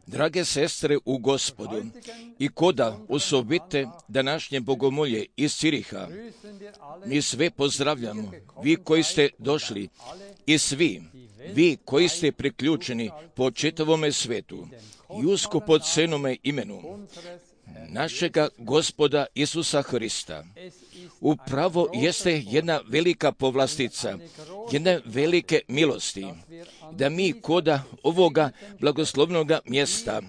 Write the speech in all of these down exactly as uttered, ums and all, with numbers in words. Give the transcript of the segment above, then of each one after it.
Drage sestre u Gospodu i koda osobite današnje bogomolje iz Ciriha, mi sve pozdravljamo, vi koji ste došli i svi, vi koji ste priključeni po čitavome svetu i usko pod cenome imenu našega Gospoda Isusa Hrista. Upravo jeste jedna velika povlastica, jedne velike milosti, da mi koda ovoga blagoslovnoga mjesta,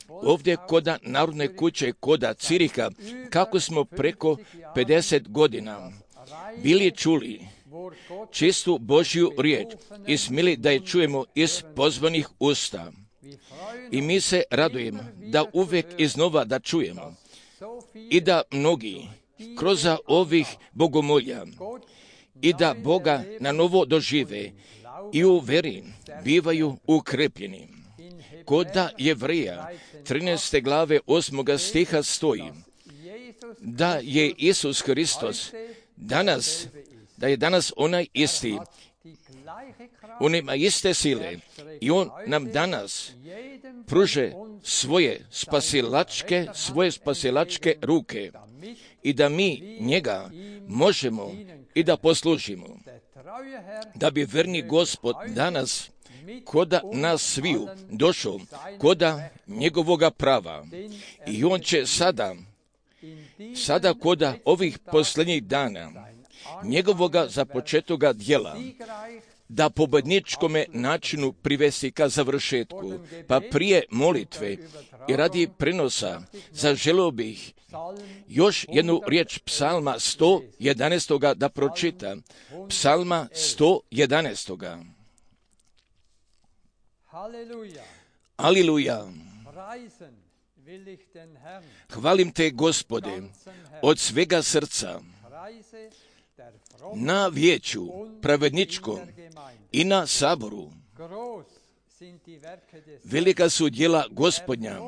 ovdje koda Narodne kuće, koda Ciriha, kako smo preko pedeset godina bili čuli čistu Božju riječ i smili da je čujemo iz pozvanih usta. I mi se radujemo da uvijek iznova da čujemo i da mnogi kroz ovih bogomolja i da Boga na novo dožive i u veri bivaju ukrepljeni. Koda Jevreja trinaeste glave osmoga stiha stoji da je Isus Hristos danas, da je danas onaj isti, on ima iste sile i on nam danas pruže svoje spasilačke, svoje spasilačke ruke i da mi njega možemo i da poslužimo. Da bi verni Gospod danas koda nas sviju došao koda njegovoga prava i on će sada sada koda ovih posljednjih dana njegovoga započetoga djela, da pobedničkome načinu privesti ka završetku, pa prije molitve i radi prenosa zaželio bih još jednu riječ psalma sto jedanaest da pročita. Psalma sto jedanaest. Aleluja. Hvalim te, Gospode, od svega srca, na vijeću pravedničkom i na saboru. Velika su djela Gospodnja,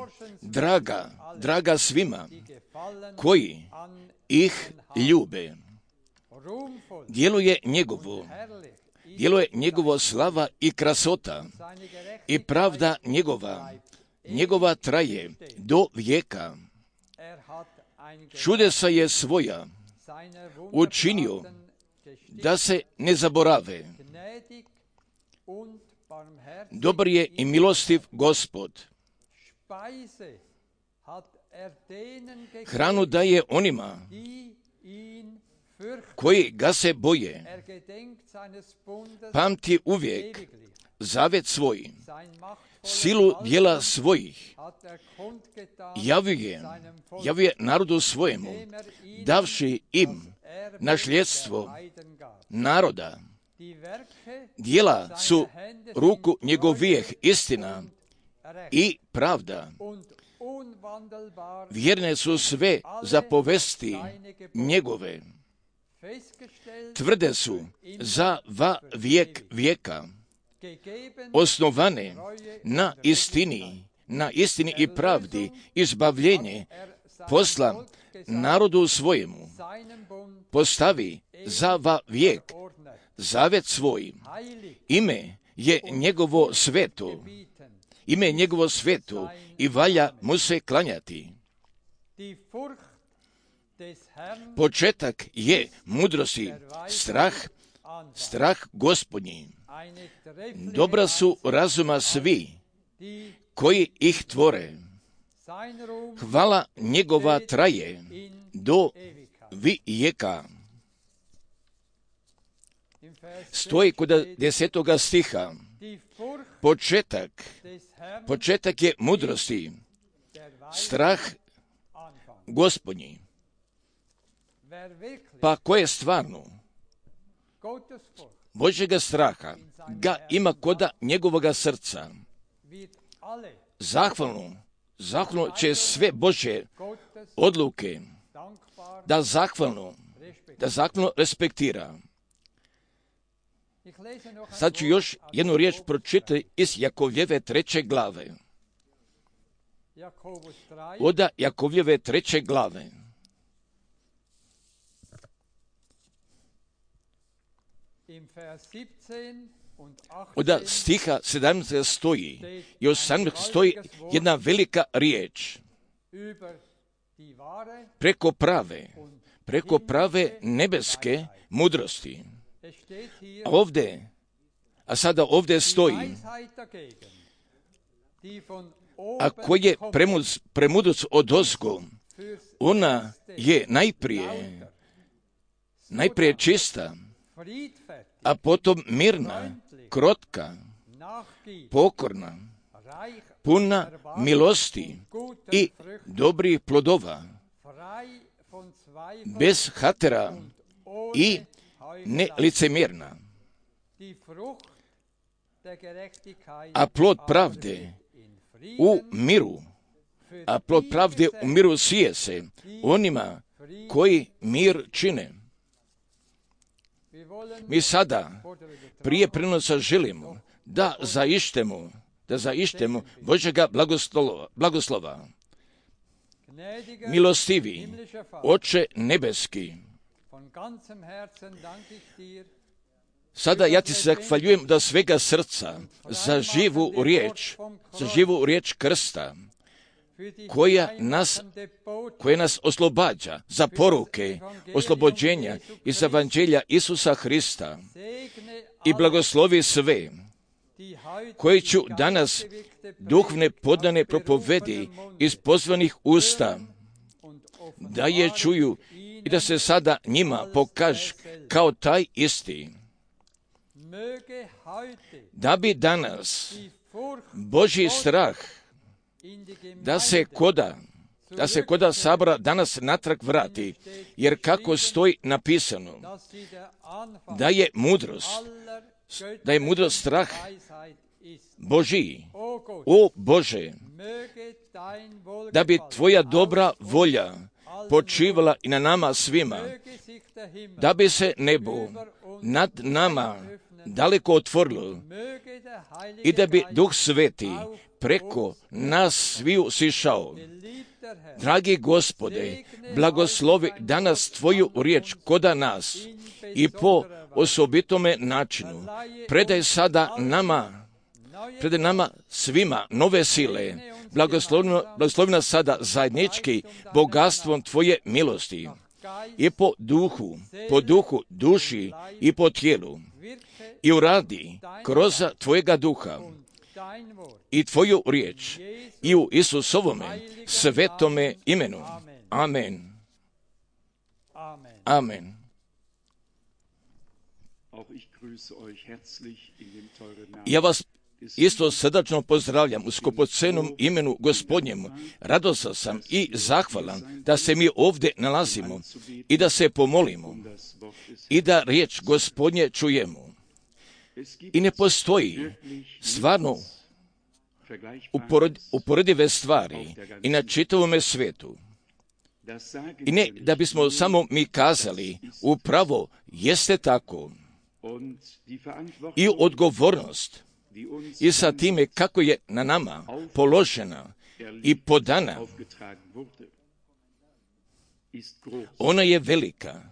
draga, draga svima koji ih ljube. Djelo je njegovo, djelo je njegovo slava i krasota i pravda njegova, njegova traje do vijeka. Čudesa je svoja učinio da se ne zaborave. Dobar je i milostiv Gospod. Hranu daje onima koji ga se boje. Pamti uvijek zavet svoj, silu djela svojih. Javuje, javuje narodu svojemu, davši im nasljedstvo naroda. Djela su ruku njegovijeh istina i pravda. Vjerne su sve zapovesti njegove. Tvrde su za va vijek vijeka. Osnovane na istini, na istini i pravdi, izbavljenje posla narodu svojemu. Postavi za va vijek zavet svoj. Ime je njegovo sveto. Ime je njegovo sveto i valja mu se klanjati. Početak je mudrosti, strah, strah Gospodnji. Dobra su razuma svi koji ih tvore. Hvala njegova traje do vijeka. Stoji kod desetoga stiha. Početak, početak je mudrosti, strah Gospodnji. Pa ko je stvarno Božjega straha ga ima koda njegovoga srca. Zahvalno, zahvalno će sve Božje odluke da zahvalno, da zahvalno respektira. Sad ću još jednu riječ pročitati iz Jakovljeve treće glave. Oda Jakovljeve treće glave. Oda stiha sedamnaest stoji i osamnaest stoji jedna velika riječ. Preko prave, preko prave nebeske mudrosti. A ovdje, a sada ovdje stoji, a koji je premud, premudac od ozgo, ona je najprije, najprije čista, a potom mirna, krotka, pokorna, puna milosti i dobrih plodova, bez hatera i nelicemjerna. A plod pravde u miru, a plod pravde u miru sije se onima koji mir čine. Mi sada prije prenosa želimo da zaištemo, da zaištemo Božjega blagoslova, blagoslova. Milostivi, Oče nebeski, sada ja ti se zahvaljujem da svega srca za živu riječ, za živu riječ krsta, koja nas, koja nas oslobađa za poruke oslobođenja iz evanđelja Isusa Hrista i blagoslovi sve, koji ću danas duhovne podane propovedi iz pozvanih usta da je čuju i da se sada njima pokaže kao taj isti. Da bi danas Božji strah da se koda, da se koda sabora danas natrag vrati, jer kako stoji napisano, da je mudrost, da je mudrost strah Božji. O Bože, da bi tvoja dobra volja počivala i na nama svima, da bi se nebo nad nama daleko otvorilo i da bi Duh Sveti preko nas sviju sišao. Dragi Gospode, blagoslovi danas tvoju riječ koda nas i po osobitome načinu. Predaj sada nama, predaj nama svima nove sile. Blagoslovi nas sada zajednički bogatstvom tvoje milosti i po duhu, po duhu, duši i po tijelu. I uradi kroz tvojega duha i tvoju riječ i u Isusovome svetome imenu. Amen. Amen. Ja vas isto srdačno pozdravljam u skupocenom imenu Gospodnjemu. Radostan sam i zahvalan da se mi ovdje nalazimo i da se pomolimo i da riječ Gospodnje čujemo. I ne postoji stvarno uporedive stvari i na čitavome svijetu. I ne da bismo samo mi kazali, upravo jeste tako. I odgovornost i sa time kako je na nama položena i podana, ona je velika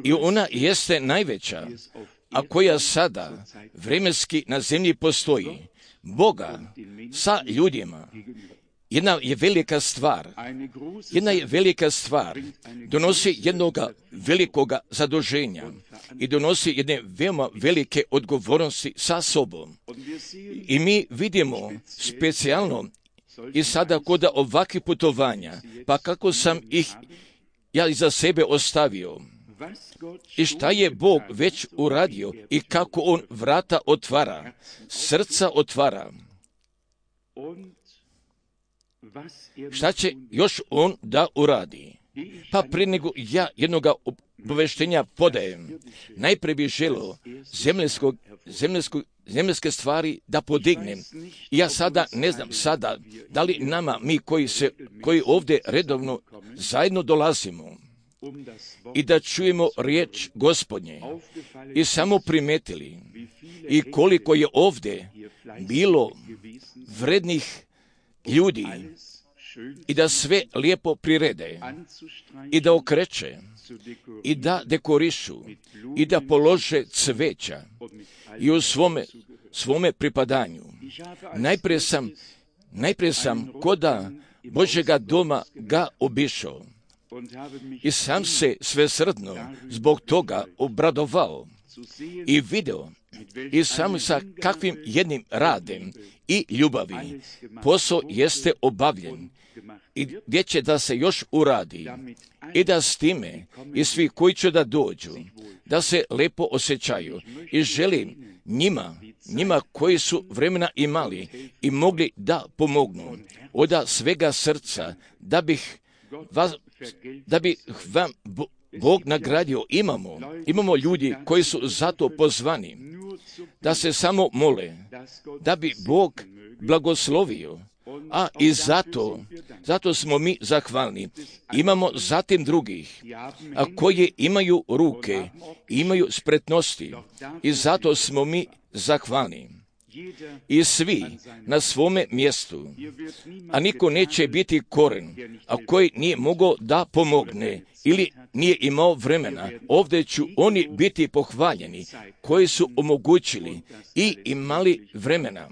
i ona jeste najveća, a koja sada vremenski na zemlji postoji. Boga sa ljudima. Jedna je velika stvar. Jedna je velika stvar. Donosi jednoga velikoga zaduženja i donosi jedne veoma velike odgovornosti sa sobom. I mi vidimo specijalno i sada kod ovakvih putovanja, pa kako sam ih ja iza sebe ostavio. I šta je Bog već uradio i kako On vrata otvara, srca otvara. Šta će još On da uradi? Pa prije nego ja jednoga obaveštenja podajem, najprije bih želio zemljskog, zemljskog, zemljske stvari da podignem. I ja sada ne znam sada da li nama, mi koji, se, koji ovdje redovno zajedno dolazimo, i da čujemo riječ Gospodnje i samo primetili i koliko je ovdje bilo vrednih ljudi i da sve lijepo prirede i da okreće i da dekorišu i da polože cveća i u svome, svome pripadanju. Najprije sam, najprije sam koda Božjega doma ga obišao. I sam se svesrdno zbog toga obradovao i video i sam sa kakvim jednim radem i ljubavi posao jeste obavljen i gdje će da se još uradi i da s time i svi koji će da dođu, da se lepo osjećaju. I želim njima, njima koji su vremena imali i mogli da pomognu od svega srca, da bih vas da bi vam Bog nagradio. Imamo, imamo ljudi koji su zato pozvani da se samo mole, da bi Bog blagoslovio, a i zato, zato smo mi zahvalni. Imamo zatim drugih, a koji imaju ruke, imaju spretnosti i zato smo mi zahvalni. I svi na svome mjestu, a niko neće biti koren, a koji nije mogao da pomogne ili nije imao vremena. Ovdje ću oni biti pohvaljeni koji su omogućili i imali vremena,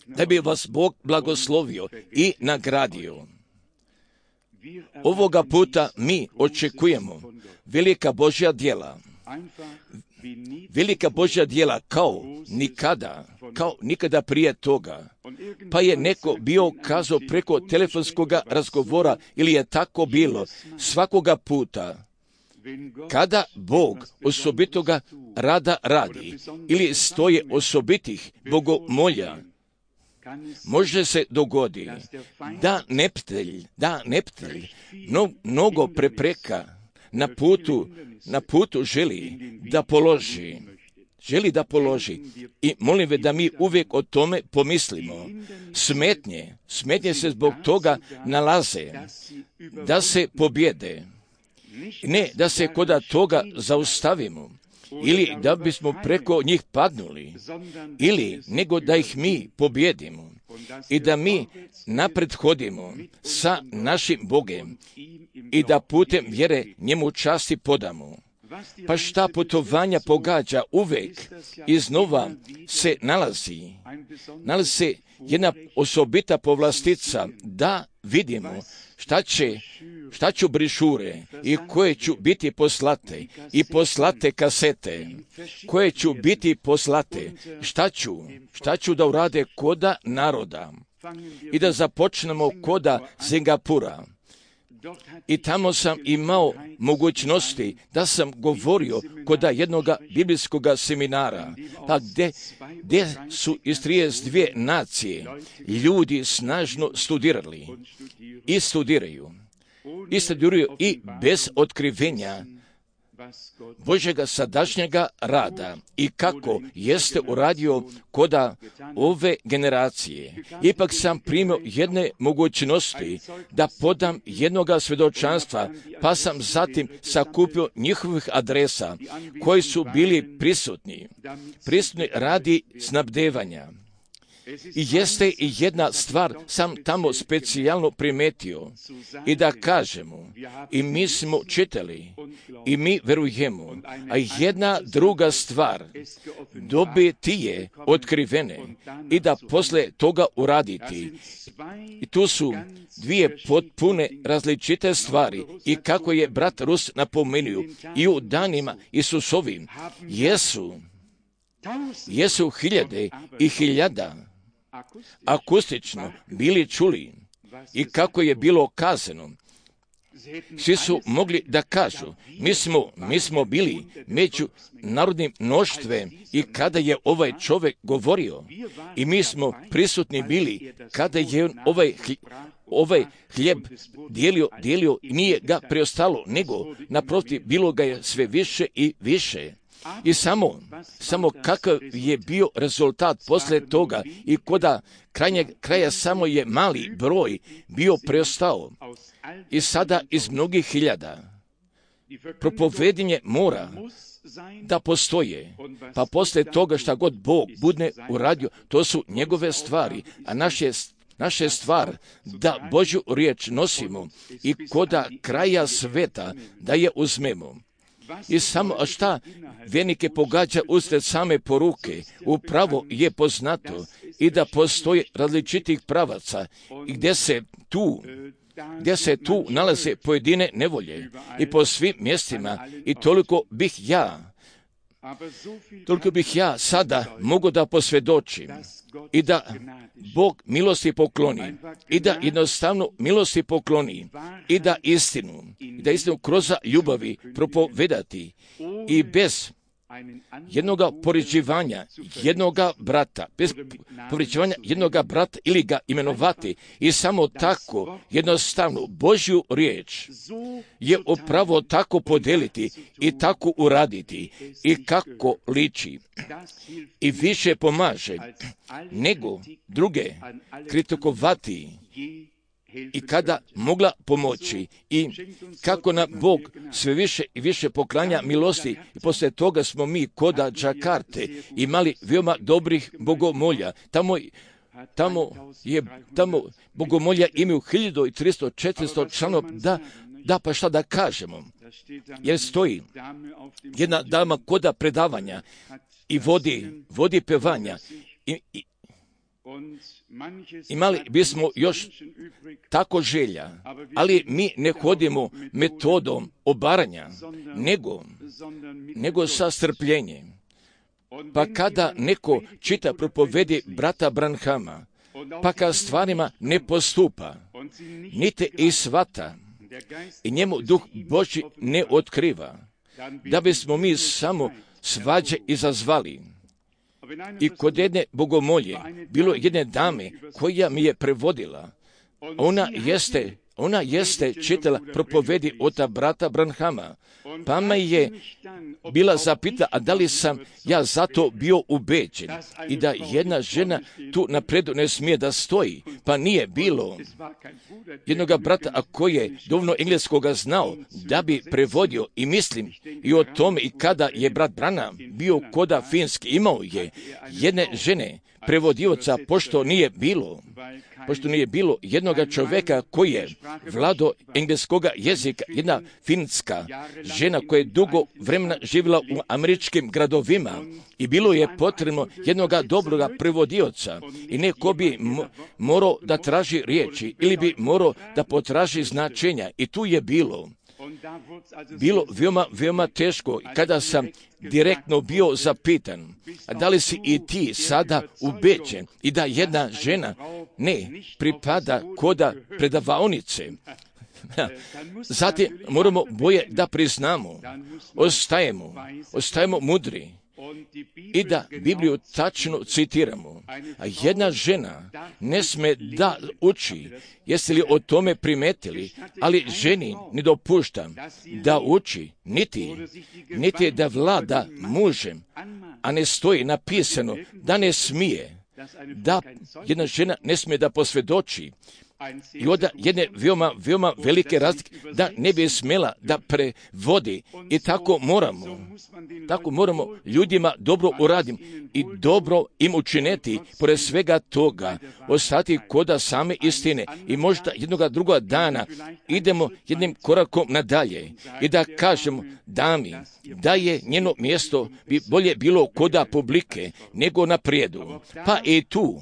da bi vas Bog blagoslovio i nagradio. Ovoga puta mi očekujemo velika Božja djela. velika Božja djela kao nikada, kao nikada prije toga. Pa je neko bio kazao preko telefonskog razgovora ili je tako bilo svakoga puta. Kada Bog osobitoga rada radi ili stoje osobitih bogomolja, može se dogodi da neptelj, da neptelj no, mnogo prepreka na putu, na putu želi da položi, želi da položi. I molim ve da mi uvijek o tome pomislimo. Smetnje, smetnje se zbog toga nalaze da se pobjede. Ne da se koda toga zaustavimo ili da bismo preko njih padnuli, ili nego da ih mi pobjedimo i da mi napred hodimo sa našim Bogem i da putem vjere njemu časti podamo. Pa šta putovanja pogađa uvijek iznova se nalazi, nalazi se jedna osobita povlastica da vidimo šta će, šta ću brišure i koje ću biti poslate i poslate kasete, koje ću biti poslate, šta ću, šta ću da urade koda naroda i da započnemo koda Singapura. I tamo sam imao mogućnosti da sam govorio koda jednoga biblijskog seminara, pa gdje, gdje su iz trideset dvije nacije ljudi snažno studirali i studiraju. I studiraju i bez otkrivenja Božjega sadašnjega rada i kako jeste uradio koda ove generacije. Ipak sam primio jedne mogućnosti da podam jednoga svjedočanstva, pa sam zatim sakupio njihovih adresa koji su bili prisutni, prisutni radi snabdevanja. I jeste i jedna stvar sam tamo specijalno primetio i da kažemo, i mi smo čitali i mi verujemo, a jedna druga stvar dobiti je otkrivene i da posle toga uraditi. I tu su dvije potpune različite stvari i kako je brat Rus napomenuo i u danima Isusovim jesu, jesu hiljade i hiljada akustično bili čuli i kako je bilo kazano. Svi su mogli da kažu, mi smo, mi smo bili među narodnim mnoštvem i kada je ovaj čovjek govorio i mi smo prisutni bili kada je ovaj, ovaj hljeb dijelio, dijelio i nije ga preostalo, nego naprotiv bilo ga je sve više i više. I samo, samo kakav je bio rezultat posle toga i koda krajnjeg kraja samo je mali broj bio preostao. I sada iz mnogih hiljada propovedanje mora da postoje, pa posle toga šta god Bog bude uradio, to su njegove stvari, a naše Naša stvar da Božju riječ nosimo i koda kraja sveta da je uzmemo. I samo, a šta vjernike pogađa usred same poruke, upravo je poznato i da postoje različitih pravaca i gdje se tu, gdje se tu nalaze pojedine nevolje i po svim mjestima i toliko bih ja, toliko bih ja sada mogu da posvjedočim i da Bog milosti pokloni i da jednostavno milosti pokloni i da istinu, i da istinu kroz ljubavi propovedati i bez jednoga poređivanja jednoga brata, bez poređivanja jednoga brata ili ga imenovati i samo tako jednostavno Božju riječ je upravo tako podeliti i tako uraditi i kako liči i više pomaže nego druge kritikovati i kada mogla pomoći i kako na Bog sve više i više poklanja milosti i poslije toga smo mi koda Džakarte imali veoma dobrih bogomolja. Tamo, tamo je, tamo bogomolja imaju hiljadu i tristo, četiristo članova, da, da pa šta da kažemo, jer stoji jedna dama koda predavanja i vodi, vodi pevanja i, i Imali bismo još tako želja, ali mi ne hodimo metodom obaranja, nego, nego sa strpljenjem. Pa kada neko čita propovedi brata Branhama, pa kad stvarima ne postupa, niti i shvata, i njemu Duh Božji ne otkriva, da bismo mi samo svađe izazvali. I kod jedne bogomolje, bilo jedne dame koja mi je prevodila, ona jeste, ona jeste čitala propovedi od brata Branhama, pa me je bila zapita, a da li sam ja zato bio ubeđen i da jedna žena tu napredu ne smije da stoji, pa nije bilo jednoga brata, a koji je dovoljno engleskoga znao da bi prevodio, i mislim i o tome, i kada je brat Branham bio koda Finski, imao je jedne žene prevodioca, pošto nije bilo pošto nije bilo jednoga čovjeka koji je vlado engleskoga jezika, jedna finska žena koja je dugo vremena živjela u američkim gradovima, i bilo je potrebno jednoga dobroga prevodioca, i neko bi mo- morao da traži riječi ili bi morao da potraži značenja, i tu je bilo bilo veoma, veoma teško kada sam direktno bio zapitan, a da li si i ti sada ubeđen i da jedna žena ne pripada koda predavaonice. Zatim moramo boje da priznamo, ostajemo, ostajemo mudri i da Bibliju tačno citiramo. A jedna žena ne sme da uči, jeste li o tome primetili, ali ženi ne dopuštam da uči, niti, niti da vlada mužem, a ne stoji napisano da ne smije, da jedna žena ne smije da posvjedoči. I onda jedne veoma, veoma velike razlike, da ne bi smjela da prevodi, i tako moramo, tako moramo ljudima dobro uraditi i dobro im učiniti, pored svega toga, ostati koda same istine, i možda jednoga druga dana idemo jednim korakom nadalje i da kažemo dami da je njeno mjesto bi bolje bilo koda publike nego na prijedu. Pa i tu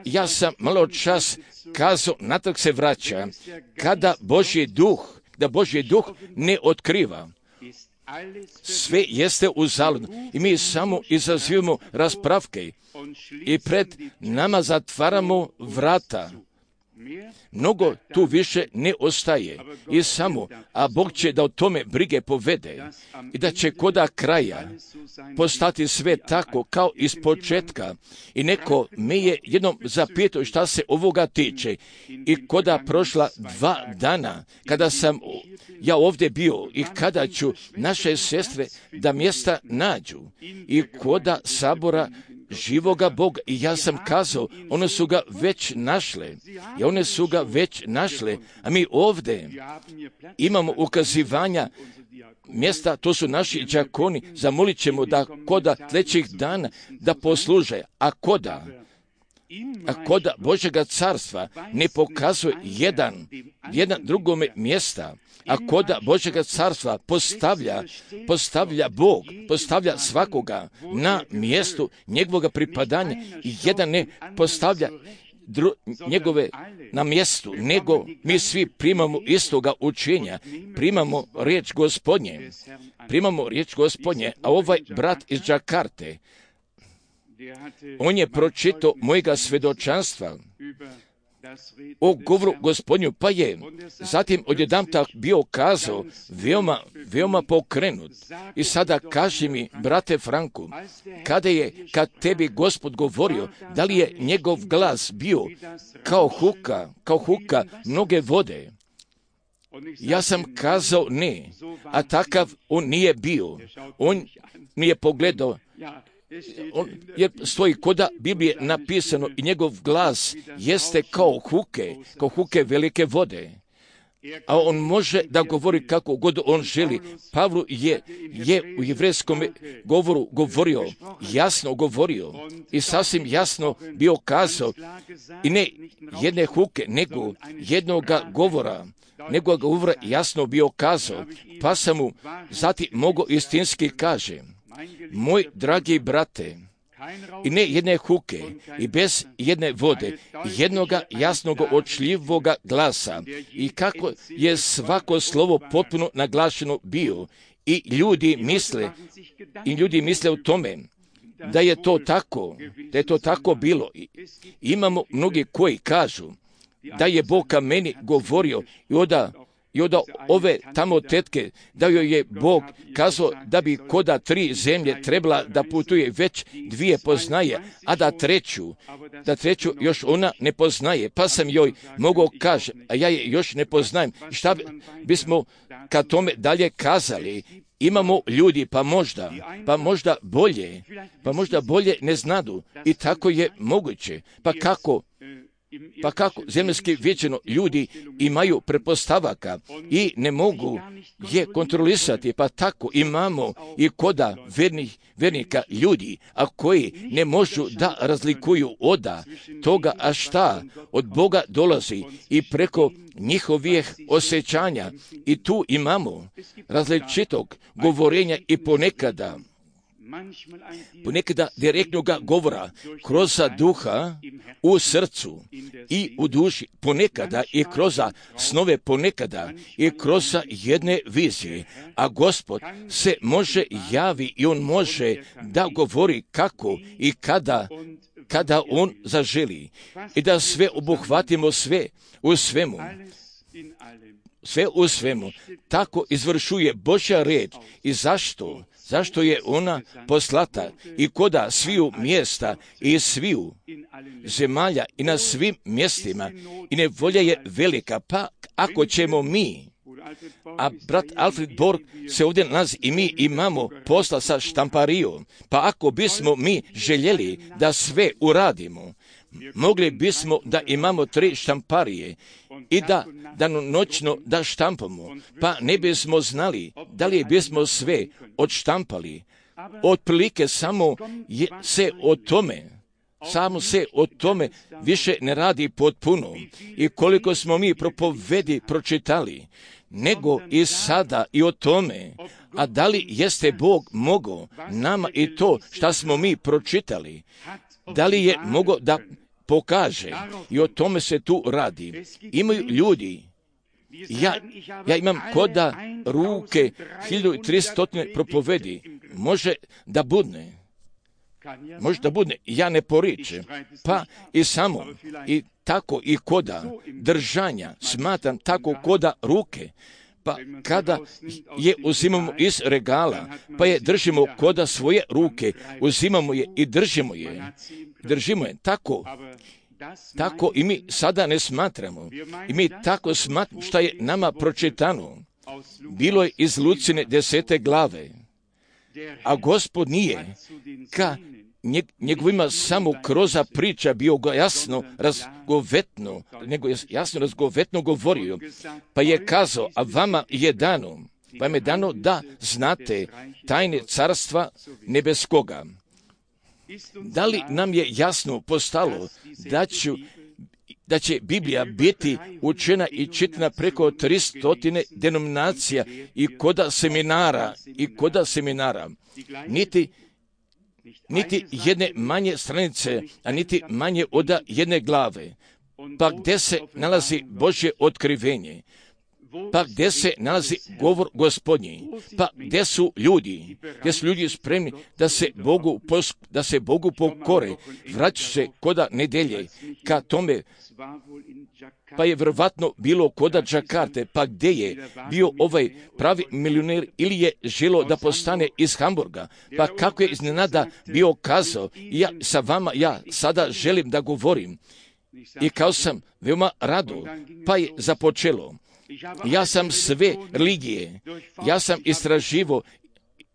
ja sam malo čas kazao, natrag se vraća, kada Božji duh, da Božji duh ne otkriva, sve jeste uzaludno i mi samo izazivamo raspravke i pred nama zatvaramo vrata. Mnogo tu više ne ostaje i samo, a Bog će da o tome brige povede i da će koda kraja postati sve tako kao iz početka. I neko me je jednom zapitao šta se ovoga tiče, i koda prošla dva dana kada sam ja ovdje bio i kada ću naše sestre da mjesta nađu i koda sabora živoga Boga, i ja sam kazao, one su ga već našle, i one su ga već našle, a mi ovdje imamo ukazivanja mjesta, to su naši đakoni, zamolit ćemo da koda sljedećih dana da posluže, a koda, a koda Božjega carstva ne pokazuje jedan, jedan drugome mjesta, a koda Božjega carstva postavlja, postavlja Bog, postavlja svakoga na mjestu njegovog pripadanja, i jedan ne postavlja dru, njegove na mjestu, nego mi svi primamo istoga učenja, primamo riječ Gospodnje, primamo riječ Gospodnje, a ovaj brat iz Đakarte, on je pročitao mojega svjedočanstva o govoru Gospodnju, pa je zatim odjedanput bio kazao veoma, veoma pokrenut. I sada kaži mi, brate Franku, kada je, kad tebi Gospod govorio, da li je njegov glas bio kao huka, kao huka mnoge vode? Ja sam kazao ne, a takav on nije bio. On mi je pogledao, on, jer stoji koda Biblije napisano, i njegov glas jeste kao huke, kao huke velike vode. A on može da govori kako god on želi. Pavlu je, je u jevrejskom govoru govorio, jasno govorio i sasvim jasno bio kazao, i ne jedne huke, nego jednoga govora, nego govora jasno bio kazao, pa sam mu zati mogo istinski kaže, moj dragi brate, i ne jedne huke i bez jedne vode, jednoga jasnog očljivoga glasa i kako je svako slovo potpuno naglašeno bio i ljudi misle i ljudi misle o tome da je to tako, da je to tako bilo. Imamo mnogi koji kažu da je Bog ka meni govorio i onda I onda ove tamo tetke, da joj je Bog kazao da bi koda tri zemlje trebala da putuje, već dvije poznaje, a da treću, da treću još ona ne poznaje. Pa sam joj mogao kaži, a ja je još ne poznajem. Šta bismo ka tome dalje kazali? Imamo ljudi, pa možda, pa možda bolje, pa možda bolje ne znadu. I tako je moguće. Pa kako? Pa kako zemaljski vječeno ljudi imaju pretpostavaka i ne mogu je kontrolisati, pa tako imamo i koda vernih, vernika ljudi, a koji ne možu da razlikuju oda toga, a šta od Boga dolazi i preko njihovih osjećanja. I tu imamo različitog govorenja i ponekada ponekada direktnoga govora kroz duha u srcu i u duši, ponekada i kroz snove, ponekada i kroz jedne vizije, a Gospod se može javi i on može da govori kako i kada, kada on zaželi i da sve obuhvatimo, sve u svemu. Sve u svemu. Tako izvršuje Božja red. I zašto? Zašto je ona poslata i koda sviju mjesta i sviju zemalja i na svim mjestima i nevolja je velika. Pa ako ćemo mi, a brat Alfred Borg se ovdje nalazi i mi imamo posla sa štamparijom, pa ako bismo mi željeli da sve uradimo, mogli bismo da imamo tri štamparije i da danonoćno da štampamo, pa ne bismo znali da li bismo sve odštampali. Otprilike samo je se o tome, samo se o tome više ne radi potpuno. I koliko smo mi propovedi pročitali, nego i sada i o tome, a da li jeste Bog mogao nama i to što smo mi pročitali, da li je mogao da pokaže, i o tome se tu radi. Imaju ljudi, ja, ja imam koda ruke hiljadu tristo propovedi, može da budne, može da budne, ja ne poričem, pa i samo, i tako i koda držanja, smatram tako koda ruke, pa kada je uzimamo iz regala, pa je držimo koda svoje ruke, uzimamo je i držimo je, držimo je, tako, tako i mi sada ne smatramo, i mi tako smatramo što je nama pročitano, bilo je iz Lucine desete glave, a Gospod nije ka njegovima samo kroz priča bio ga jasno razgovetno, nego je jasno razgovetno govorio, pa je kazao, a vama je dano, vam je dano da znate tajne carstva nebeskoga. Da li nam je jasno postalo da, ću, da će Biblija biti učena i čitana preko tristotine denominacija i koda seminara, i koda seminara, niti niti jedne manje stranice, a niti manje od jedne glave, pa gdje se nalazi Božje otkrivenje, pa gdje se nalazi govor Gospodnji, pa gdje su ljudi, gdje su ljudi spremni da se Bogu, da se Bogu pokore, vraća se koda nedelje ka tome, pa je vjerovatno bilo koda Džakarte, pa gdje je bio ovaj pravi milioner ili je želo da postane iz Hamburga, pa kako je iznenada bio kazao, ja sa vama, ja sada želim da govorim, i kao sam veoma rado, pa je započelo. Ja sam sve religije, ja sam istraživo,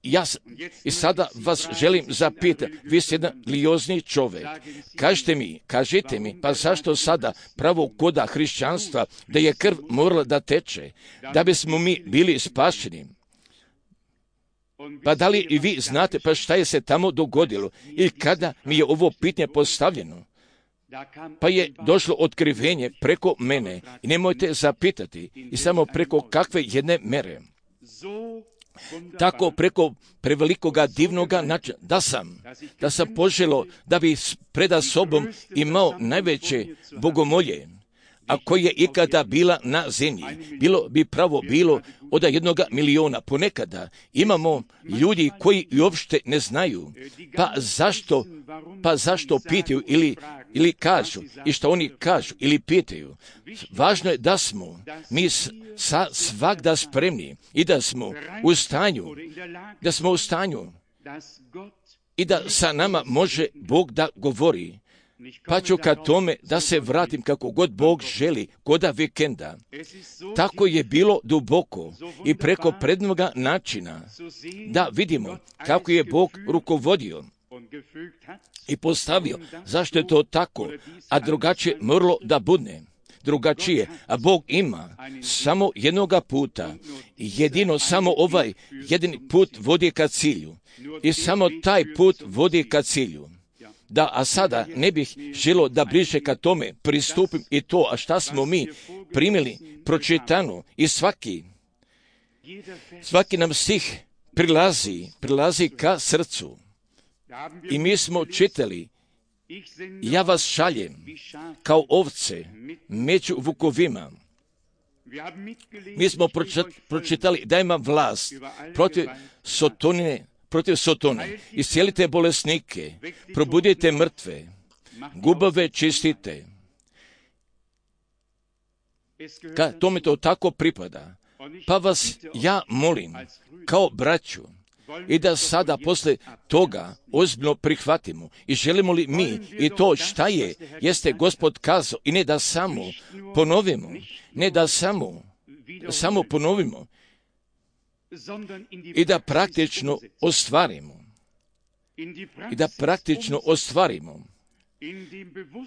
ja sam, i sada vas želim zapitati, vi ste jedan religiozni čovjek, kažite mi, kažite mi, pa zašto sada pravo koda hrišćanstva, da je krv morala da teče, da bismo mi bili spašeni? Pa da li i vi znate, pa šta je se tamo dogodilo i kada mi je ovo pitanje postavljeno? Pa je došlo otkrivenje preko mene i nemojte zapitati i samo preko kakve jedne mere. tako preko prevelikoga divnoga načina, da sam, da sam poželo da bi preda sobom imao najveće bogomolje, a koje je ikada bila na zemlji. Bilo bi pravo bilo od jednoga miliona. Ponekada imamo ljudi koji uopšte ne znaju, pa zašto, pa zašto pitaju ili, ili kažu, i što oni kažu ili pitaju. Važno je da smo mi sa svakda spremni i da smo u stanju, da smo u stanju i da sa nama može Bog da govori. Pa ću ka tome da se vratim kako god Bog želi, koda vikenda. Tako je bilo duboko i preko prednoga načina da vidimo kako je Bog rukovodio i postavio. Zašto je to tako, a drugačije moralo da budne? Drugačije, a Bog ima samo jednoga puta, jedino samo ovaj jedini put vodi ka cilju i samo taj put vodi ka cilju. Da, a sada ne bih želio da bliže ka tome pristupim i to, a šta smo mi primili pročitano i svaki, svaki nam stih prilazi, prilazi ka srcu. I mi smo čitali, ja vas šaljem kao ovce među vukovima. Mi smo pročitali da ima vlast protiv Sotonine, protiv Sotone. Iscijelite bolesnike, probudite mrtve, gubave čistite. Ka tome to tako pripada. Pa vas ja molim, kao braću, i da sada posle toga ozbiljno prihvatimo. I želimo li mi i to šta je, jeste Gospod kazao, i ne da samo ponovimo, ne da samo, samo ponovimo, i da praktično ostvarimo. I da praktično ostvarimo.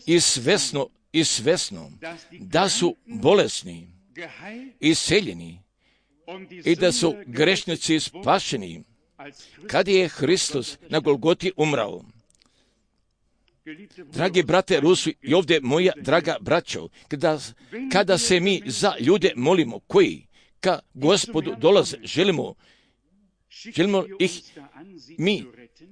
I svesno, i svesno, da su bolesni, iseljeni, i da su grešnici spašeni, kad je Hristos na Golgoti umrao. Dragi brate Rusu i ovdje moja draga braćo, kada, kada se mi za ljude molimo, koji ka Gospodu dolaze, želimo, želimo ih mi,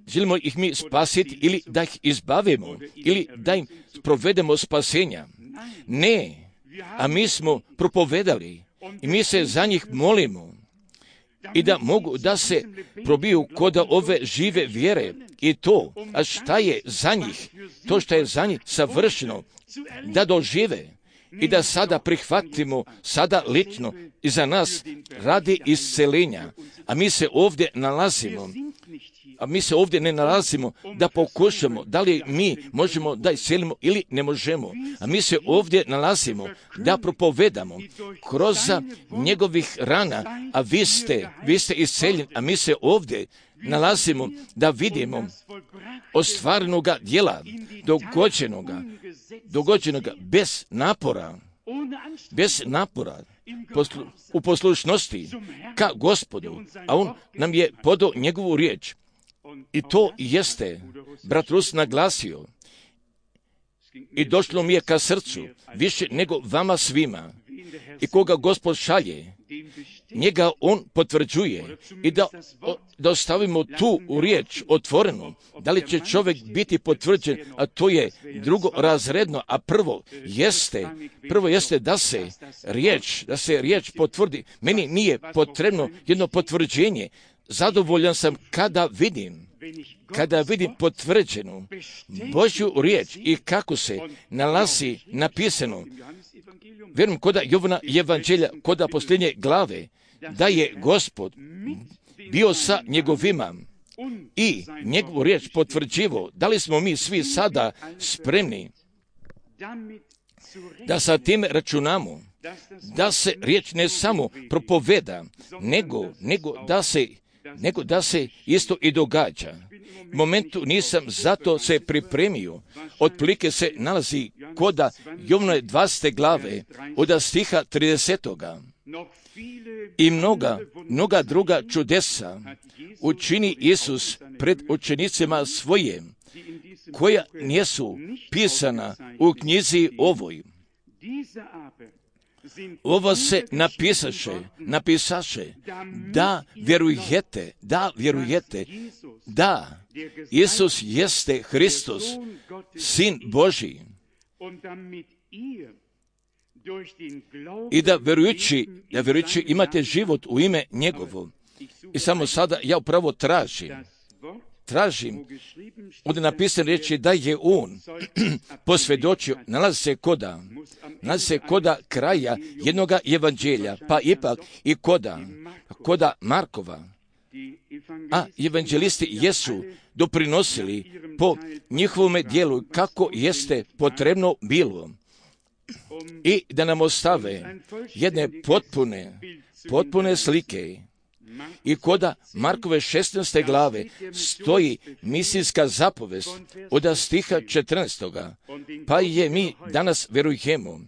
želimo ih mi spasiti ili da ih izbavimo ili da im provedemo spasenja. Ne, a mi smo propovedali i mi se za njih molimo i da mogu da se probiju koda ove žive vjere i to, a šta je za njih, to što je za njih savršeno, da dožive i da sada prihvatimo, sada lično i za nas radi iscelenja. A mi se ovdje nalazimo, a mi se ovdje ne nalazimo da pokušamo, da li mi možemo da iscelimo ili ne možemo. A mi se ovdje nalazimo da propovedamo kroz njegovih rana, a vi ste, vi ste isceljeni, a mi se ovdje nalazimo da vidimo ostvarenoga djela, dogođenoga, dogođenoga bez napora, bez napora, poslu, u poslušnosti ka Gospodu, a on nam je podao njegovu riječ. I to jeste, brat Rus naglasio, i došlo mi je ka srcu, više nego vama svima. I koga Gospod šalje, njega on potvrđuje i da, da ostavimo tu u riječ otvorenu. Da li će čovjek biti potvrđen, a to je drugo razredno, a prvo jeste, prvo jeste da se riječ, da se riječ potvrdi. Meni nije potrebno jedno potvrđenje. Zadovoljan sam kada vidim, kada vidim potvrđenu Božju riječ i kako se nalazi napisano. Vjerujem koda Jovana evanđelja, koda posljednje glave, da je Gospod bio sa njegovima i njegovu riječ potvrđivo. Da li smo mi svi sada spremni da sa tim računamo, da se riječ ne samo propoveda, nego, nego, da se, nego da se isto i događa. U momentu nisam zato se pripremio. Otprilike se nalazi koda Jovnove dvadesete glave od stiha tridesetoga. I mnoga, mnoga druga čudesa učini Isus pred učenicima svoje, koja nisu pisana u knjizi ovoj. ovo se napisaše, napisaše, da vjerujete, da vjerujete, da Isus jeste Hristos, Sin Božji, i da vjerujući, da vjerujući imate život u ime njegovo. I samo sada ja upravo tražim, tražim, ovdje napisane riječi da je on posvjedočio, nalazi se koda, nalazi se koda kraja jednoga evanđelja, pa ipak i koda, koda Markova. A evanđelisti jesu doprinosili po njihovome dijelu kako jeste potrebno bilo i da nam ostave jedne potpune, potpune slike. I koda Markove šesnaeste glave stoji misijska zapovest od stiha četrnaestoga, pa je mi danas vjerujemo,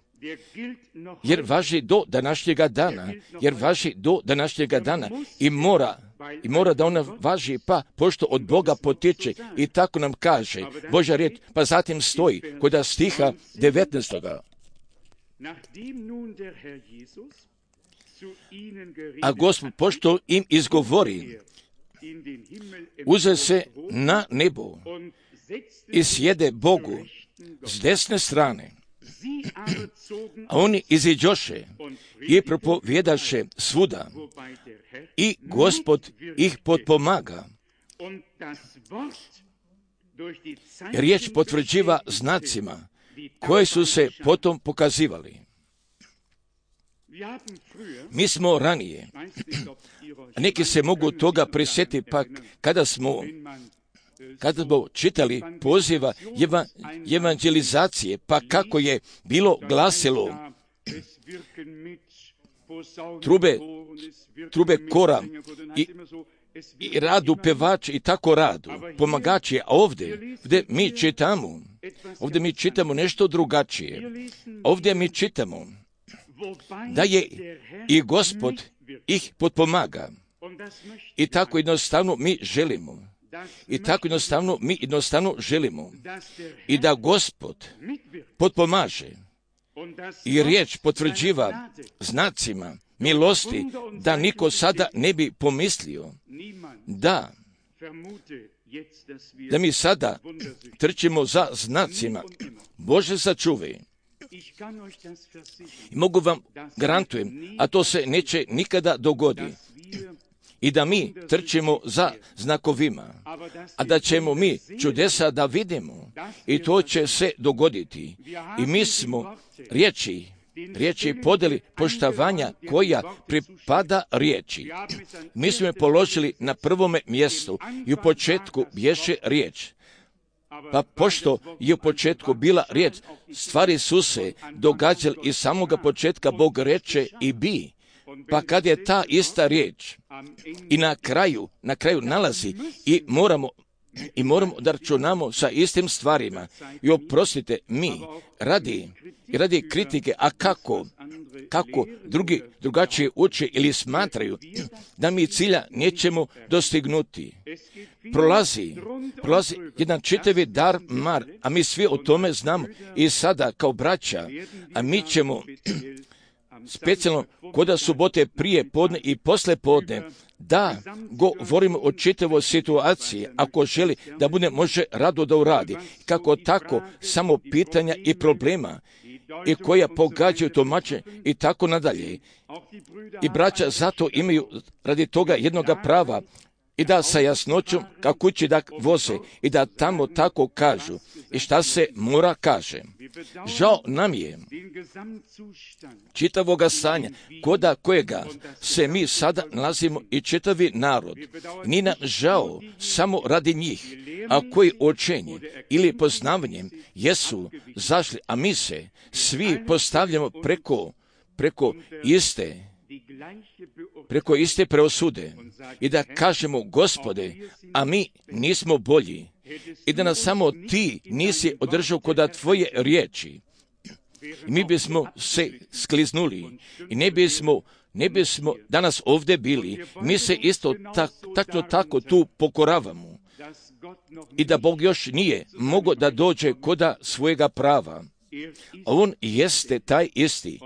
jer važi do današnjega dana, jer važi do današnjega dana i mora, i mora da ona važi, pa pošto od Boga potiče i tako nam kaže Božja riječ, pa zatim stoji koda stiha devetnaestoga. A Gospod, pošto im izgovori, uze se na nebo i sjede Bogu s desne strane. A oni iziđoše i propovjedaše svuda i Gospod ih potpomaga. Riječ potvrđiva znacima koje su se potom pokazivali. Mi smo ranije, neki se mogu toga prisjetiti, pa kada smo, kada smo čitali poziva eva, evanđelizacije, pa kako je bilo glasilo trube, trube kora i, i radu pevači i tako radu, pomagači, a ovdje, ovdje mi čitamo, ovdje mi čitamo nešto drugačije. Ovdje mi čitamo da je i Gospod ih potpomaga. I tako jednostavno mi želimo. I tako jednostavno mi jednostavno želimo. I da Gospod potpomaže. I riječ potvrđiva znacima milosti, da niko sada ne bi pomislio da da mi sada trčimo za znacima. Bože sačuvaj. I mogu vam garantujem, a to se neće nikada dogoditi, i da mi trčimo za znakovima, a da ćemo mi čudesa da vidimo, i to će se dogoditi. I mi smo riječi, riječi podeli poštovanja koja pripada riječi. Mi smo je položili na prvome mjestu i u početku bješe riječ. Pa pošto je u početku bila riječ, stvari su se događale iz samoga početka, Bog reče i bi. Pa kad je ta ista riječ i na kraju, na kraju nalazi i moramo, i moramo da računamo sa istim stvarima. I oprostite, mi radi, radi kritike, a kako, kako drugi drugačije uče ili smatraju da mi cilja nećemo dostignuti. Prolazi, prolazi jedan čitavi dar mar, a mi svi o tome znamo i sada kao braća, a mi ćemo specijalno koda subote prije podne i posle podne da govorimo o čitavoj situaciji, ako želi da bude može rado da uradi, kako tako samo pitanja i problema i koja pogađaju tumače i tako nadalje. I braća zato imaju radi toga jednoga prava i da sa jasnoćom kako kući da voze i da tamo tako kažu i šta se mora kaže. Žao nam je čitavoga stanja, koda kojega se mi sada nalazimo i čitavi narod. Nije nam žao samo radi njih, a koji učenje ili poznavanjem jesu zašli, a mi se svi postavljamo preko, preko iste preko iste preosude i da kažemo, Gospode, a mi nismo bolji i da nas samo ti nisi održao koda tvoje riječi. I mi bismo se skliznuli i ne bismo, ne bismo danas ovdje bili. Mi se isto tak, tako, tako tu pokoravamo i da Bog još nije mogao da dođe koda svojega prava. On jeste taj isti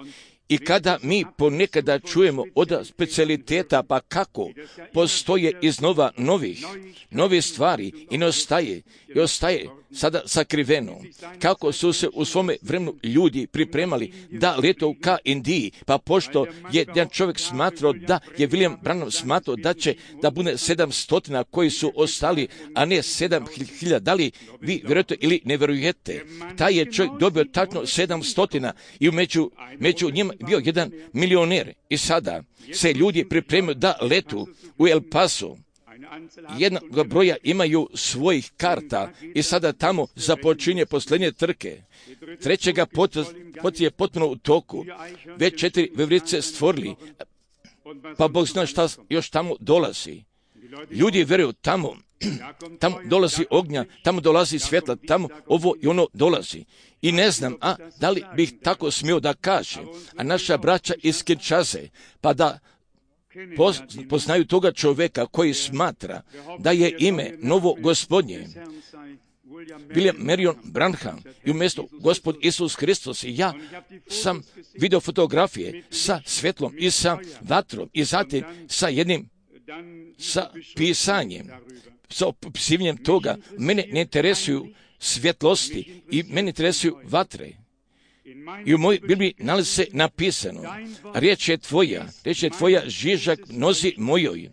I kada mi ponekada čujemo od specijaliteta, pa kako postoje iznova novih, novih stvari i ne ostaje, i ostaje sada sakriveno. Kako su se u svome vremenu ljudi pripremali da letu ka Indiji, pa pošto je jedan čovjek smatrao da je William Branham smatrao da će da bude sedam stotina koji su ostali, a ne sedam hiljada. Da li vi vjerujete ili ne vjerujete? Taj je čovjek dobio tačno sedam stotina i među, među njima bio jedan milioner. I sada se ljudi pripremaju da letu u El Paso. Jednog broja imaju svojih karta i sada tamo započinje posljednje trke. Trećega pot, pot je potpuno u toku. Već četiri veverice stvorili, pa Bog zna šta još tamo dolazi. Ljudi vjeruju tamo, tamo dolazi ognja, tamo dolazi svjetla, tamo ovo i ono dolazi. I ne znam, a da li bih tako smio da kažem, a naša braća iz Kinshase, pa da poznaju toga čovjeka koji smatra da je ime novo gospodnje William Marion Branham i umjesto Gospod Isus Hristos. I ja sam vidio fotografije sa svjetlom i sa vatrom i zatim sa jednim sa pisanjem, sa opisivanjem toga. Mene ne interesuju svjetlosti i mene interesuju vatre. I u mojoj Bibliji nalazi se napisano, riječ je tvoja, riječ je tvoja žižak nozi mojoj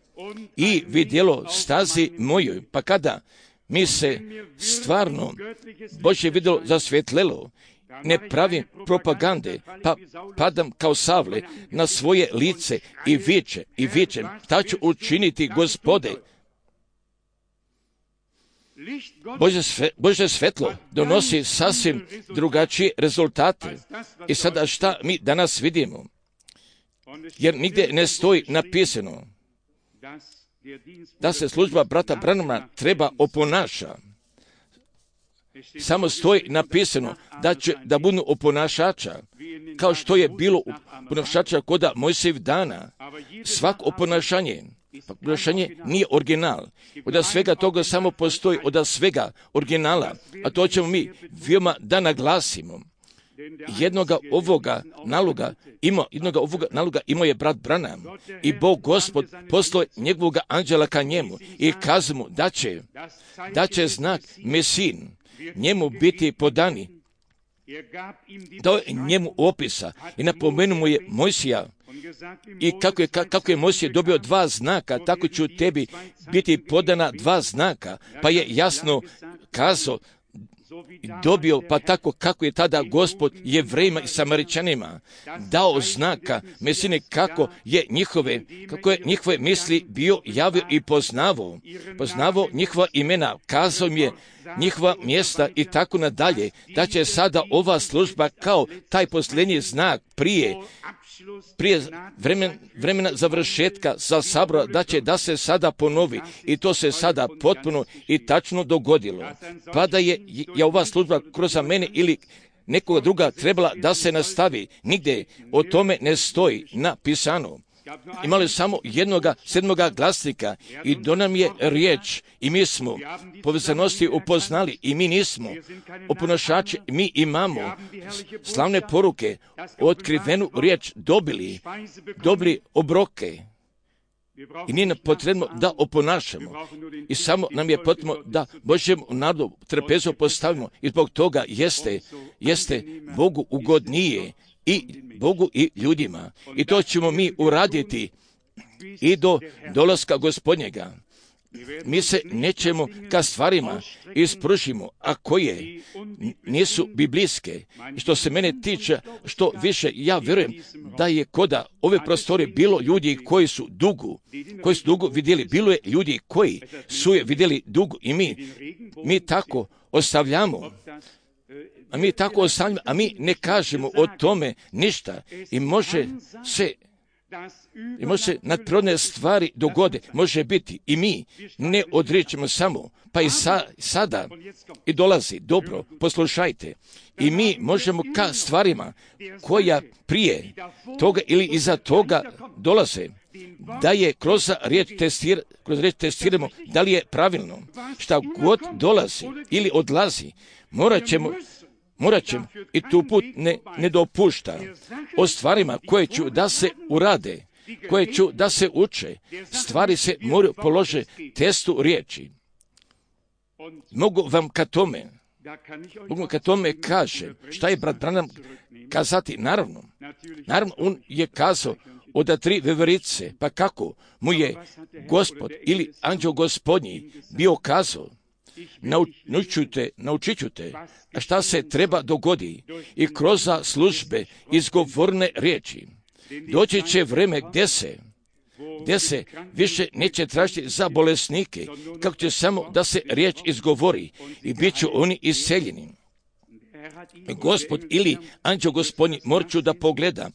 i vidjelo stazi mojoj. Pa kada mi se stvarno Božje vidjelo zasvjetlelo, ne pravim propagande, pa padam kao savle na svoje lice i viče, i vičem, šta ću učiniti, Gospode? Božje, sve, Božje svetlo donosi sasvim drugačije rezultate. I sada šta mi danas vidimo? Jer nigdje ne stoji napisano da se služba brata Branhama treba oponaša. Samo stoji napisano da će da budu oponašača, kao što je bilo oponašača koda Mojsijevih dana. Svako oponašanje, oponašanje nije original. Od svega toga samo postoji od svega originala, a to ćemo mi veoma da naglasimo. Jednoga ovoga naloga ima, jednoga ovoga naloga imao je brat Branham i Bog Gospod poslao njegovog anđela ka njemu i kazao mu da će, da će znak Mesin njemu biti podani. Dao je njemu opisa i napomenuo mu je Mojsija i kako je, kako je Mojsije dobio dva znaka, tako će u tebi biti podana dva znaka, pa je jasno kazao dobio, pa tako kako je tada Gospod Jevrejima i Samaričanima dao znaka Mesine, kako je njihove, kako je njihove misli bio javio i poznavao, poznavao njihova imena, kazao im je njihova mjesta i tako nadalje, da će sada ova služba kao taj posljednji znak prije prije vremen, vremena završetka za sabora, da će da se sada ponovi i to se sada potpuno i tačno dogodilo. Pa da je, je ova služba kroz mene ili nekoga druga trebala da se nastavi, nigdje o tome ne stoji napisano. Imali samo jednoga sedmoga glasnika i do nam je riječ i mi smo povezanosti upoznali i mi nismo oponašači, mi imamo slavne poruke, otkrivenu riječ dobili, dobili obroke i nije nam potrebno da oponašamo i samo nam je potrebno da Božjem narodu trpezu postavimo i zbog toga jeste, jeste Bogu ugodnije i Bogu i ljudima. I to ćemo mi uraditi i do dolaska Gospodnjega. Mi se nećemo ka stvarima ispružimo, a koje nisu biblijske. Što se mene tiče, što više ja vjerujem da je koda ove prostore bilo ljudi koji su dugo, koji su dugo vidjeli, bilo je ljudi koji su je vidjeli dugo i mi, mi tako ostavljamo. A mi tako ostavljamo, a mi ne kažemo o tome ništa i može se i može se nadprirodne stvari dogode, može biti i mi ne odričemo samo, pa i sa, sada i dolazi, dobro, poslušajte, i mi možemo ka stvarima koja prije toga ili iza toga dolaze, da je kroz riječ, testir, kroz riječ testiramo da li je pravilno, šta god dolazi ili odlazi, morat ćemo morat će i tu put ne, ne dopušta o stvarima koje ću da se urade, koje ću da se uče. Stvari se moraju polože testu riječi. Mogu vam ka tome, mogu ka tome kaže, šta je brat Branham kazati? Naravno, naravno, on je kazao od tri veverice, pa kako mu je Gospod ili anđeo Gospodnji bio kazao, naučite, naučit ću te šta se treba dogodi i kroz službe izgovorne riječi. Doći će vreme gdje se, gdje se više neće tražiti za bolesnike, kako će samo da se riječ izgovori i bit će oni iseljeni. Gospod ili anđeo Gospodnji, morat ću da pogledam,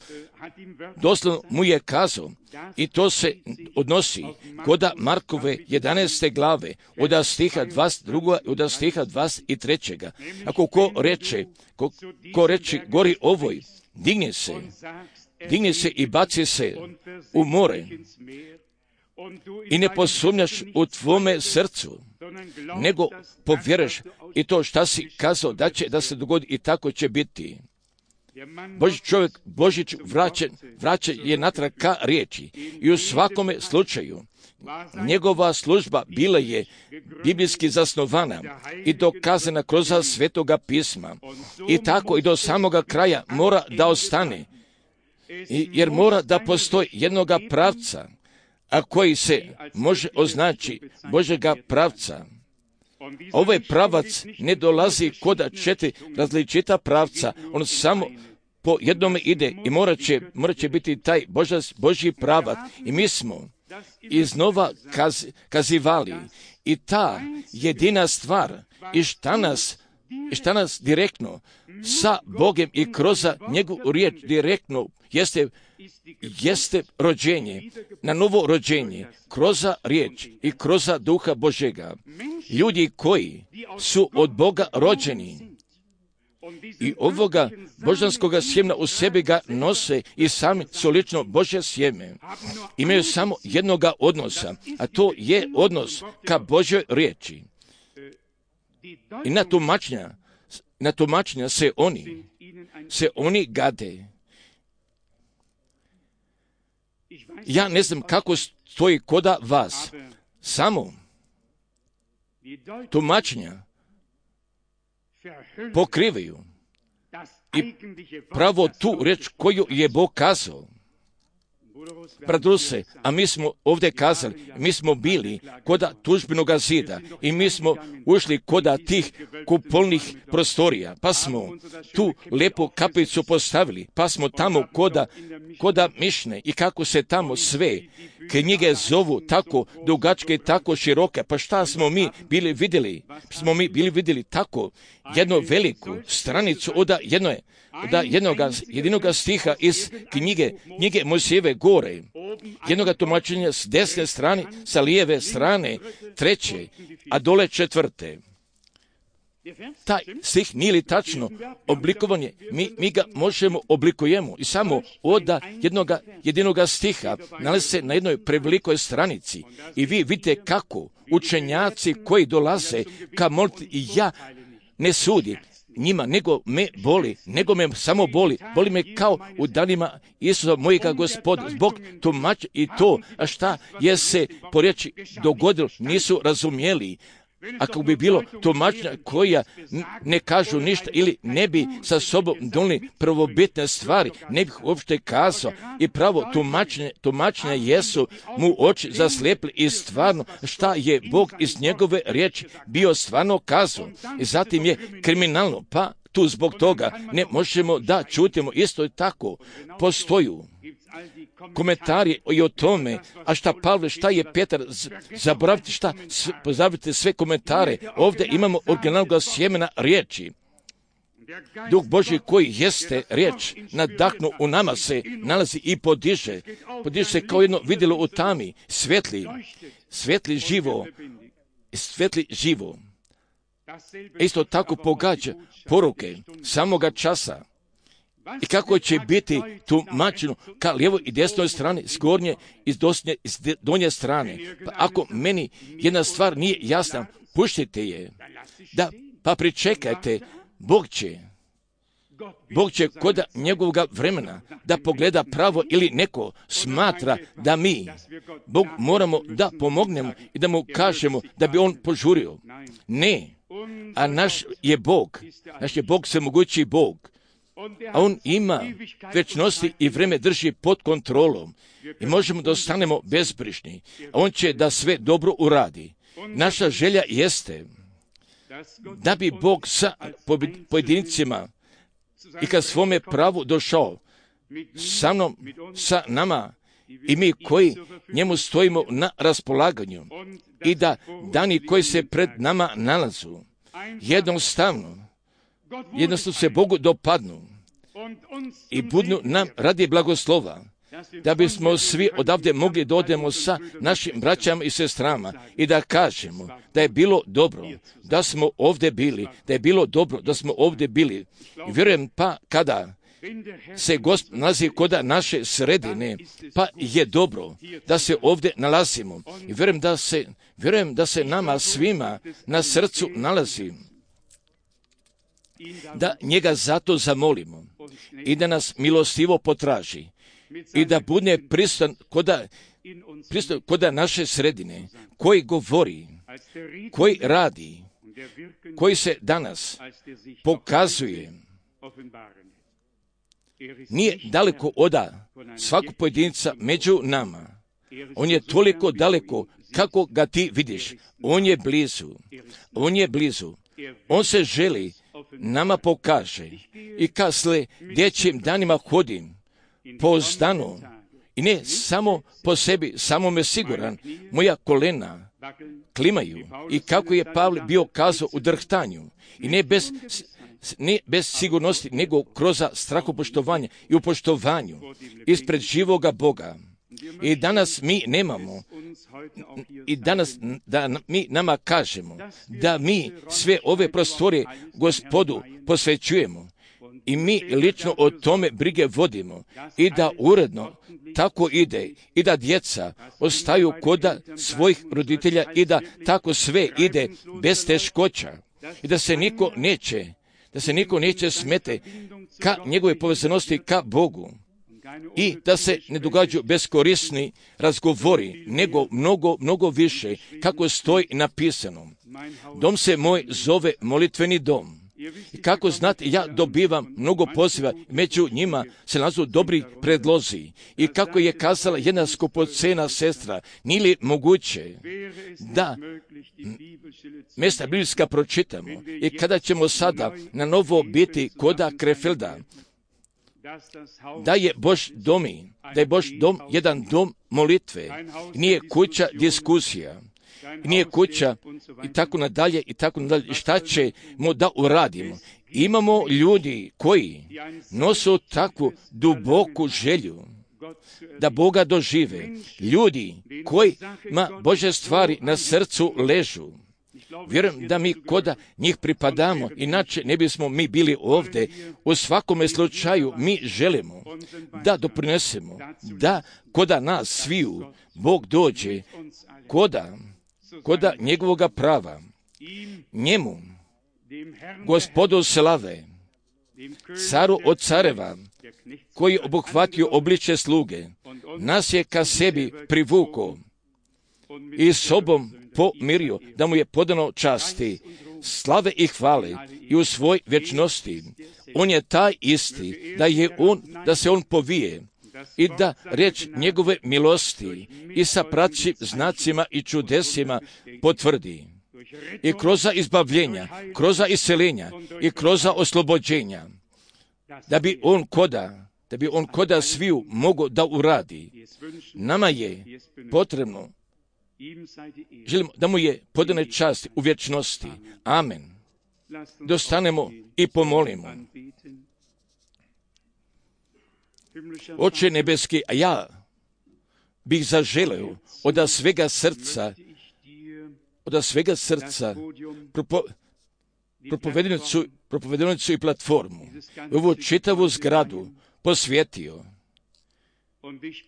doslovno mu je kazao, i to se odnosi koda Markove jedanaeste glave, od stiha dvadeset drugog i od stiha dvadeset trećeg. Ako ko reče, ko, ko reče gori ovoj, digne se, digne se i baci se u more i ne posumnjaš u tvome srcu, nego povjeruješ i to šta si kazao da će da se dogodi i tako će biti. Boži čovjek, Božić vraćen, vraćen je natrag ka riječi i u svakome slučaju njegova služba bila je biblijski zasnovana i dokazana kroz svetoga pisma i tako i do samoga kraja mora da ostane, I, jer mora da postoji jednoga pravca, a koji se može označi Božega pravca. Ovaj pravac ne dolazi koda četiri različita pravca, on samo po jednome ide i morat će, morat će biti taj Boža, Božji pravac. I mi smo iznova kaz, kazivali i ta jedina stvar i šta nas, i šta nas direktno sa Bogem i kroz njegovu riječ direktno jeste, jeste rođenje, na novo rođenje, kroz riječ i kroz duha Božega. Ljudi koji su od Boga rođeni i ovoga božanskoga sjemena u sebi ga nose i sami su lično Božje sjeme, imaju samo jednoga odnosa, a to je odnos ka Božjoj riječi. I na tumačenja, na tumačenja se oni, se oni gade. Ja ne znam kako stoji koda vas, samo tumačenja pokrivaju i pravo tu reč koju je Bog kazao. Bradruse, a mi smo ovdje kazali, mi smo bili koda tužbenoga zida i mi smo ušli koda tih kupolnih prostorija, pa smo tu lepu kapicu postavili, pa smo tamo koda, koda Mišne i kako se tamo sve knjige zovu tako dugačke i tako široke, pa šta smo mi bili vidjeli? Smo mi bili vidjeli tako jednu veliku stranicu od jednoje, da jednoga, jedinoga stiha iz knjige, knjige Mojsijeve gore, jednoga tumačenja s desne strane, sa lijeve strane, treće, a dole četvrte. Taj stih nije li tačno oblikovanje, mi, mi ga možemo oblikujemo i samo od jednoga, jedinoga stiha nalazi se na jednoj prevelikoj stranici i vi vidite kako učenjaci koji dolaze ka moliti i ja ne sudim njima, nego me boli, nego me samo boli, boli me kao u danima Isusa mojega Gospoda, zbog tumač i to, a šta je se po riječi dogodilo, nisu razumjeli. Ako bi bilo tumačenja koja ne kažu ništa ili ne bi sa sobom donijeli prvobitne stvari, ne bih uopšte kazao i pravo tumačenja, tumačenja jesu mu oči zaslijepili i stvarno šta je Bog iz njegove riječi bio stvarno kazao. I zatim je kriminalno, pa tu zbog toga ne možemo da čutimo. Isto i tako postoju komentari i o tome, a šta Pavle, šta je Petar, zaboravite šta, pozabavite sve komentare. Ovdje imamo originalnog sjemena riječi. Duh Božji koji jeste riječ nadahnu u nama se nalazi i podiže. Podiže se kao jedno vidjelo u tami, svetli, svetli živo, svetli živo. Isto tako pogađa poruke samoga časa. I kako će biti tumačeno ka lijevoj i desnoj strani, s gornje i dosnje, s donje strane. Pa ako meni jedna stvar nije jasna, puštite je. Da, pa pričekajte, Bog će, Bog će kod njegovog vremena da pogleda pravo ili neko smatra da mi, Bog moramo da pomognemo i da mu kažemo da bi on požurio. Ne, a naš je Bog, naš je Bog svemogući Bog, a on ima večnosti i vreme drži pod kontrolom i možemo da ostanemo bezbrižni. On će da sve dobro uradi. Naša želja jeste da bi Bog sa pojedincima i kad svome pravu došao sa mnom, sa nama i mi koji njemu stojimo na raspolaganju i da dani koji se pred nama nalazu jednostavno, jednostavno se Bogu dopadnu i budnu nam radi blagoslova, da bismo svi odavde mogli da odemo sa našim braćama i sestrama i da kažemo da je bilo dobro da smo ovdje bili, da je bilo dobro da smo ovdje bili. I vjerujem pa kada se Gospod nalazi kod naše sredine, pa je dobro da se ovdje nalazimo. I vjerujem da se, vjerujem da se nama svima na srcu nalazi, da njega zato zamolimo i da nas milostivo potraži i da bude pristan koda, pristan koda naše sredine, koji govori, koji radi, koji se danas pokazuje. Nije daleko oda svakog pojedinca među nama. On je toliko daleko kako ga ti vidiš. On je blizu. On je blizu. On se želi nama pokaže. I kasle dječjim danima hodim pouzdano i ne samo po sebi, samo me siguran, moja kolena klimaju i kako je Pavle bio kazao u drhtanju i ne bez, ne bez sigurnosti, nego kroz strahopoštovanje i u poštovanju ispred živoga Boga. I danas mi nemamo, i danas da mi nama kažemo da mi sve ove prostorije Gospodu posvećujemo i mi lično o tome brige vodimo i da uredno tako ide i da djeca ostaju kod svojih roditelja i da tako sve ide bez teškoća i da se niko neće, da se niko neće smete ka njegove povezanosti ka Bogu i da se ne događaju beskorisni razgovori, nego mnogo, mnogo više, kako stoji napisano. Dom se moj zove molitveni dom. I kako znate, ja dobivam mnogo poziva, među njima se nalazu dobri predlozi. I kako je kazala jedna skupocena sestra, nije li moguće da mjesta biblijska pročitamo i kada ćemo sada na novo biti koda Krefelda, da je Bož domi, da je Bož dom jedan dom molitve, nije kuća diskusija, nije kuća i tako nadalje i tako nadalje. I šta ćemo da uradimo? Imamo ljudi koji nosu takvu duboku želju da Boga dožive. Ljudi kojima Božje stvari na srcu ležu. Vjerujem da mi koda njih pripadamo, inače ne bismo mi bili ovdje. U svakome slučaju mi želimo da doprinesemo, da koda nas sviju Bog dođe koda, koda njegovoga prava. Njemu, Gospodu slave, caru od careva, koji je obuhvatio obličje sluge, nas je ka sebi privukao i sobom pomirio, da mu je podano časti, slave i hvale i u svoj vječnosti. On je taj isti, da je on, da se on povije i da riječ njegove milosti i sa praćim znacima i čudesima potvrdi. I kroz izbavljenja, kroz iseljenja i kroz oslobođenja, da bi on koda, da bi on koda sviju mogao da uradi. Nama je potrebno, želimo da mu je podane čast u vječnosti. Amen. Dostanemo i pomolimo. Oče nebeski, a ja bih zaželeo od svega srca, od svega srca propo, propovedenicu, propovedenicu i platformu, ovu čitavu zgradu posvjetio.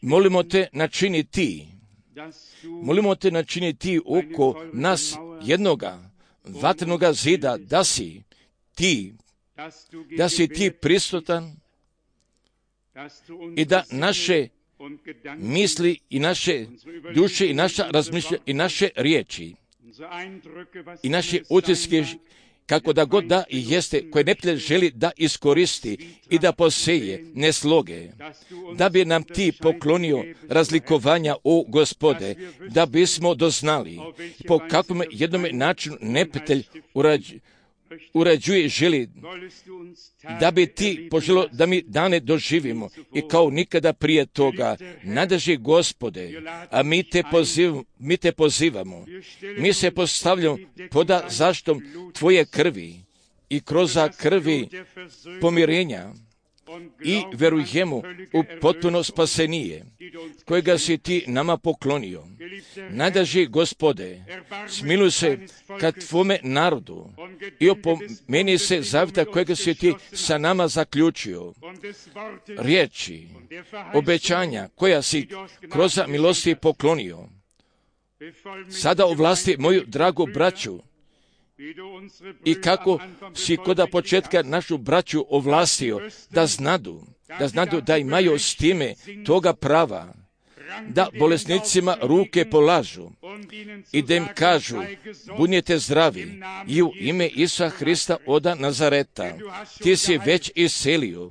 Molimo te načini ti, molimo te načini ti oko nas jednoga vatrenoga zida, da si ti da si ti prisutan i da naše misli i naše duše i naša razmišljanja i naše riječi i naše utiske, kako da god da i jeste, koje neprijatelj želi da iskoristi i da poseje nesloge, da bi nam ti poklonio razlikovanja, o Gospode, da bismo doznali po kakvom jednom načinu neprijatelj urađuje, urađuje i želi, da bi ti poželo da mi dane doživimo i kao nikada prije toga. Nadrži Gospode, a mi te, poziv, mi te pozivamo, mi se postavljamo pod zaštitom Tvoje krvi i kroz krvi pomirenja i vjerujemo u potpuno spasenije, kojega si ti nama poklonio. Nadrži Gospode, smiluj se kad Tvome narodu i opomeni se zavjeta kojega si ti sa nama zaključio. Riječi, obećanja koja si kroz milosti poklonio. Sada ovlasti moju dragu braću, i kako si koda početka našu braću ovlastio da znadu, da znadu da imaju s time toga prava, da bolesnicima ruke polažu i da im kažu, budite zdravi i u ime Isusa Hrista oda Nazareta, ti si već iselio,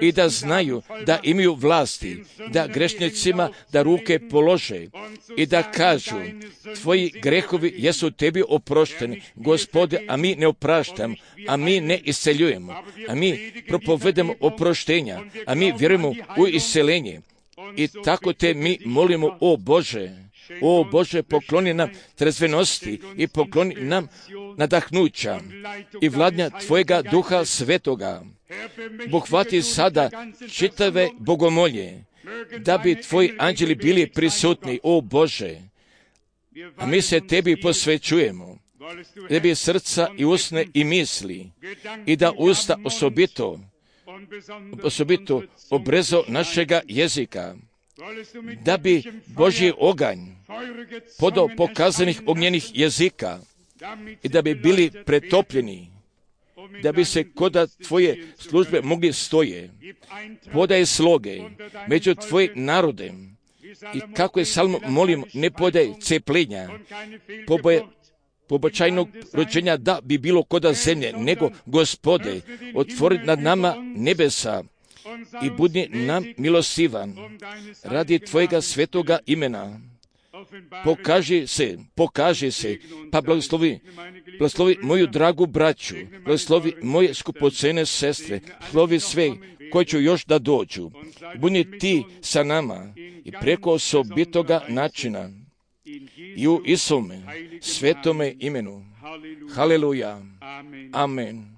i da znaju da imaju vlasti, da grešnicima da ruke polože i da kažu, tvoji grehovi jesu tebi oprošteni, Gospode, a mi ne opraštamo, a mi ne iseljujemo, a mi propovedemo oproštenja, a mi vjerujemo u iseljenje. I tako te mi molimo, o Bože, o Bože, pokloni nam trezvenosti i pokloni nam nadahnuća i vladnja Tvojega Duha Svetoga. Pohvati sada čitave bogomolje, da bi Tvoji anđeli bili prisutni, o Bože, a mi se Tebi posvećujemo, da bi srca i usne i misli i da usta osobito osobito obrezo našega jezika, da bi Božji oganj podao pokazanih ognjenih jezika i da bi bili pretopljeni, da bi se koda Tvoje službe mogli stoje. Podaj sloge među Tvoje narode i kako je Salmo molim, ne podaj cepljenja, poboje pobačajnog rođenja da bi bilo koda zemlje, nego Gospode, otvori nad nama nebesa i budi nam milostivan radi Tvojega svetoga imena. Pokaži se, pokaži se, pa blagoslovi, blagoslovi moju dragu braću, blagoslovi moje skupocene sestre, blagoslovi sve koji će još da dođu. Budi ti sa nama i preko osobitoga načina i u Isome svetome imenu. Haleluja. Amen.